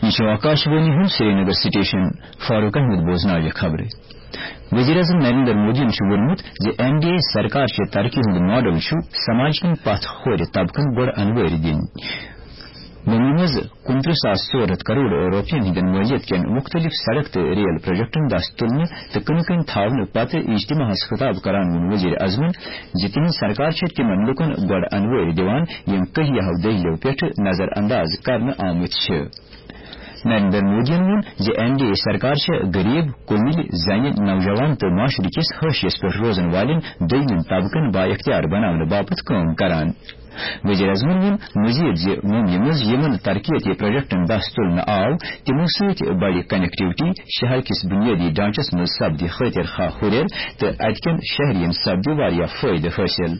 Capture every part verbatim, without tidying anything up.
یہِ چھُ آکاشوانی ہُنٛد سرینگر سٹیشن۔ فاروق احمد بوزناوِ خبرٕ۔ وزیر اعظم نریندر مودیَن چھُ ووٚنمُت زِ این ڈی اے سرکار چہِ ترقی ہُنٛد ماڈل چھُ سماج کٮ۪ن پتھ کھورِ طبقن گۄڈٕ انوٲرۍ دِنۍ۔ ممبیہِ منٛز کُنترٕہ ساس ژور ہتھ کرور رۄپین ہٕنٛدٮ۪ن مٲلیت کٮ۪ن مُختٔلِف سڑک تہٕ ریل پروجیکٹن دَس تُلنہٕ تہٕ کٕنہٕ کٔنۍ تھاونہٕ پتہٕ اجتماعس خطاب کران ووٚن وزیر اعظمن زِ تِہنٛز سرکار چھےٚ تِمن لوٗکن گۄڈٕ انوٲرۍ دِوان، یِم کٔہیاہو دٔہلو پٮ۪ٹھٕ نظر انداز کرنہٕ آمٕتۍ چھِ۔ نریندر مودیَن ووٚن زِ این ڈی اے سرکار چھےٚ غریب، کُمِلۍ، زنہِ، نوجوان تہٕ معاشرٕ کِس حٲشیَس پٮ۪ٹھ روزن والٮ۪ن دوٚیمٮ۪ن طبقن با اختیار بناونہٕ باپتھ کٲم کران۔ وزیر اعظمن ووٚن مزید زِ ممبیہِ منٛز یِمن ترقیتی پروجیکٹن دَس تُلنہٕ آو، تِمو سۭتۍ بڑِ کنیکٹیوٹی، شہر کِس بنیٲدی ڈھانچس منٛز سپدِ خٲطر خواہ ہُرٮ۪ر تہٕ اتہِ کٮ۪ن شہرین سپدِ واریاہ فٲیدٕ حٲصِل۔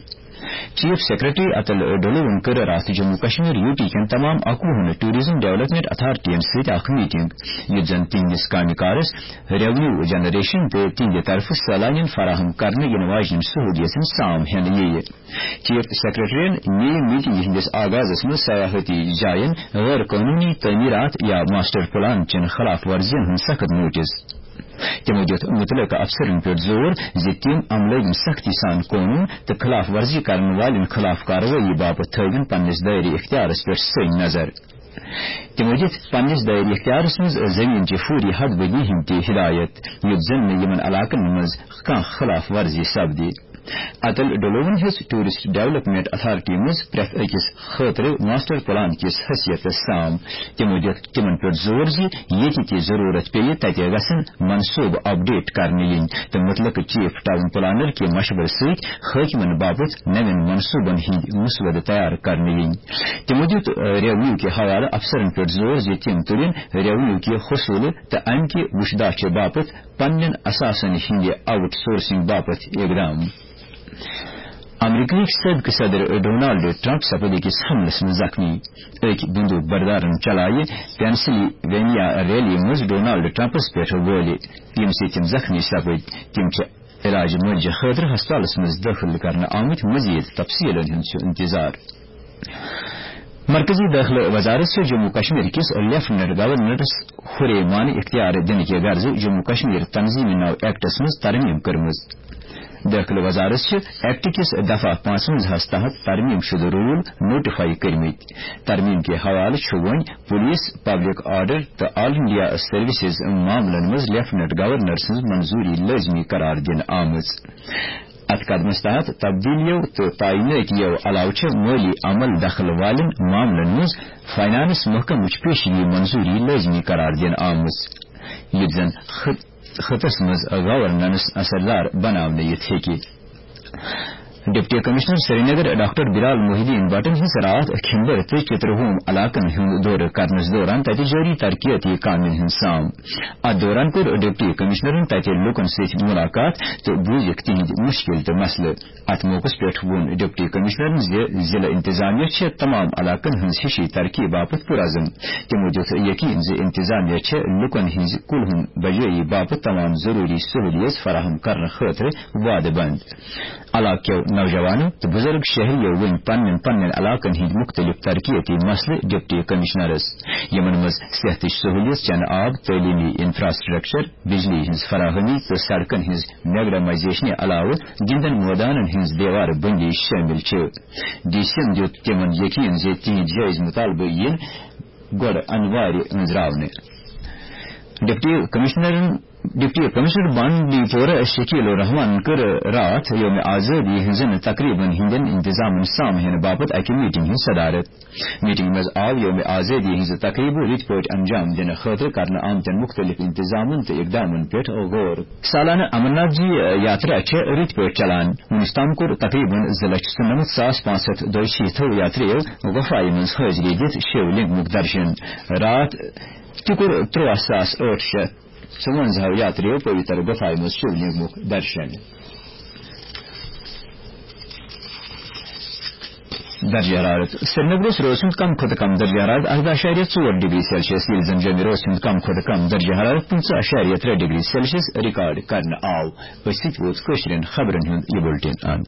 چیف سیکرٹری اتل ڈولوَن کٔر راتھ جموں کشمیر یو ٹی کٮ۪ن تمام اَکوُہن ٹورازم ڈیولپمنٹ اتھارٹین سۭتۍ اکھ میٹنگ، یُتھ زن تِہنٛدِس کامہِ کارس، ریونیو جنریشن تہٕ تِہنٛدِ طرفہٕ سٲلانین فراہم کرنہٕ یِنہٕ واجنٮ۪ن سہولیژن سام ہٮ۪نہٕ یِیہِ۔ چیف سیکرٹریَن نِیہِ میٹنگہِ ہٕنٛدِس آغازس منٛز سیاحتی جاین غٲر قونوٗنی تعمیرات یا ماسٹر پلان چٮ۪ن خلاف ورزین ہُنٛد سخت نوٹس۔ تِمو دِیُت مُتعلقہٕ افسرن پٮ۪ٹھ زور زِ تِم عملٲوِن سختی سان قونوٗن تہٕ خلاف ورزی کرن والٮ۪ن خلاف کاروٲیی باپتھ تھٲوِن پننِس دٲیرٕ اختیارس پٮ۪ٹھ سٔنۍ نظر۔ تِمو دِتۍ پننِس دٲیرٕ اختیارس منٛز زٔمیٖن چہِ فوری حد بندی ہٕنٛدۍ تہِ ہدایت، یُتھ زن نہٕ یِمن علاقن منٛز کانٛہہ خلاف ورزی سپدِ۔ اتل ڈولوَن ہیٚژ ٹورسٹ ڈیولپمنٹ اتھارٹی منٛز پرٛٮ۪تھ أکِس خٲطرٕ ماسٹر پلان کِس حیثیتس سام۔ تِمو دِیُت تِمن پٮ۪ٹھ زور زِ ییٚتہِ تہِ ضروٗرت پیٚیہِ، تتہِ گژھن منصوٗبہٕ اپڈیٹ کرنہٕ یِنۍ تہٕ مُتعلقہٕ چیف ٹاؤن پلانر کہِ مشورٕ سۭتۍ حٲکمن باپتھ نوٮ۪ن منصوٗبن ہٕنٛدۍ مسودٕ تیار کرنہٕ یِنۍ۔ تِمو دِیُت، آ، ریونیو کہِ حوالہٕ افسرن پٮ۪ٹھ زور زِ تِم تُلِن ریونیو کہِ حصوٗلہٕ تہٕ امہِ کہِ وُچھداچہِ باپتھ پننٮ۪ن اثاثن ہٕنٛدِ آؤٹ سورسنگ باپتھ اقدام۔ امریکہٕکۍ سٲبقہٕ صدر ڈونالڈ ٹرمپ سپٕدۍ أکِس حملس منٛز زخمی۔ أکۍ بندوٗق بردارن چلایہِ پینسلوینیا ریلی منٛز ڈونالڈ ٹرمپس پٮ۪ٹھ گولہِ، ییٚمہِ سۭتۍ تِم زخمی سپٕدۍ۔ تِم چھِ علاج معالجہٕ خٲطرٕ ہسپتالس منٛز دٲخل کرنہٕ آمٕتۍ۔ مزید تفصیلن ہُنٛد چھُ انتظار۔ مرکزی دٲخلہٕ وزارت چھُ جموں کشمیر کِس لیفٹیننٹ گورنرس ہُرے مانہٕ اختیار دِنہٕ کہِ غرضہٕ جموں کشمیر تنظیٖمی نو ایکٹس منٛز ترمیم کٔرمٕژ۔ دٲخلہٕ وزارت چھِ ایکٹ کِس دفعہ پانٛژونٛزاہس تحت ترمیم شدٕ رول نوٹیفائی کٔرمٕتۍ۔ ترمیم کہِ حوالہٕ چھُ وۄنۍ پولیس، پبلک آرڈر تہٕ آل انڈیا سروسز معاملن منٛز لیفٹیننٹ گورنر سٕنٛز منظوری لٲزمی قرار دِنہٕ آمٕژ۔ اتھ قدمس تحت تبدیلیو تہٕ تعینٲتیو علاوٕ چھِ مٲلی عمل دخل والٮ۪ن معاملن منٛز فنانس محکمٕچ پیشگی منظوری لٲزمی قرار دِنہٕ آمٕژ، یُتھ زن خط-، خطس منٛز گورننس اثردار بناونہٕ یِتھ ہیٚکہِ۔ ڈپٹی کمشنر سرینگر ڈاکٹر بلال محی الدین بٹن ہٕنٛز راتھ کھمبر تہٕ چترہوم علاقن ہُنٛد دورٕ کرنس دوران تتہِ جٲری ترقیتی کامٮ۪ن ہُنٛد سام۔ اتھ دوران کوٚر ڈپٹی کمشنرن تتہِ لوٗکن سۭتۍ مُلاقات تہٕ بوٗزِکھ تِہنٛدۍ مُشکِل تہٕ مسلہٕ۔ اتھ موقعس پٮ۪ٹھ ووٚن ڈپٹی کمشنرن زِ ضلع انتظامیہ چھےٚ تمام علاقن ہٕنٛز ہِشی ترقی باپتھ پُرعزم۔ تِمو دِیُت یقین زِ انتظامیہ چھےٚ لوٗکن ہٕنٛزِ کُلہُن بجٲیی باپتھ تمام ضروٗری سہولیژ فراہم کرنہٕ خٲطرٕ وعدٕ بنٛد۔ علاقہٕ کٮ۪و نوجوانو تہٕ بُزرگ شہریو ؤنۍ پننٮ۪ن پننٮ۪ن علاقن ہٕنٛدۍ مُختٔلِف ترقیتی مسلہٕ ڈپٹی کمشنرس، یِمن منٛز صحتٕچ سہولیت، چنہٕ آب، تعلیمی انفراسٹرکچر، بجلی ہٕنٛز فراہمی تہٕ سڑکن ہٕنٛز میگڈمائزیشنہِ علاوٕ گِنٛدن مٲدانن ہٕنٛز دیوار بندی شٲمِل چھِ۔ ڈی سیَن دِیُت تِمن یقین زِ تِہنٛدۍ جٲیز مُطالبہٕ یِن گۄڈٕ انوارِ أنٛزراونہٕ۔ ڈپٹی کمشنرن، ڈپٹی کمشنر بانڈی پورہ شکیل الرحمان کٔر راتھ یوم آزادی ہٕنٛزن تقریبن ہٕنٛدٮ۪ن انتظامن سام ہینہٕ باپتھ اکہِ میٹنگ ہٕنٛز صدارت۔ میٹنگ منٛز آو یوم آزادی ہٕنٛزٕ تقریبہٕ رٕتۍ پٲٹھۍ انجام دِنہٕ خٲطرٕ کرنہٕ آمتٮ۪ن مُختٔلِف انتظامن تہٕ اقدامن پٮ۪ٹھ غور۔ سالانہٕ امرناتھ جی یاترا چھےٚ رٕتۍ پٲٹھۍ چلان۔ وُنیُک تام کوٚر تقریباً زٕ لچھ ژُنَمَتھ ساس پانٛژھ ہَتھ دۄیہِ شیٖتھ یاتریو غفایہِ منٛز حٲضری دِتھ شِو لنگمُک درشن۔ راتھ تہِ کوٚر تُرٛواہ ساس ٲٹھ شیٚتھ ژُوَنٛزاہ یاتریو پویتر غفایہِ منٛز شِو لنگمُک درشن۔ درجہ حرارت۔ سرینگرس روز ہُنٛد کم کھۄتہٕ کم درجہ حرارت ارداہ اعشاریہ ژور ڈگری سیلسیس، ییٚلہِ زن جوٚمہِ روز ہُنٛد کم کھۄتہٕ کم درجہ حرارت پٕنٛژٕہ اعشاریہ ترٛےٚ ڈگری سیلسیس ریکارڈ کرنہٕ آو۔ أتھۍ سۭتۍ ووت کٲشرٮ۪ن خبرن ہُنٛد یہِ بُلٹن اند۔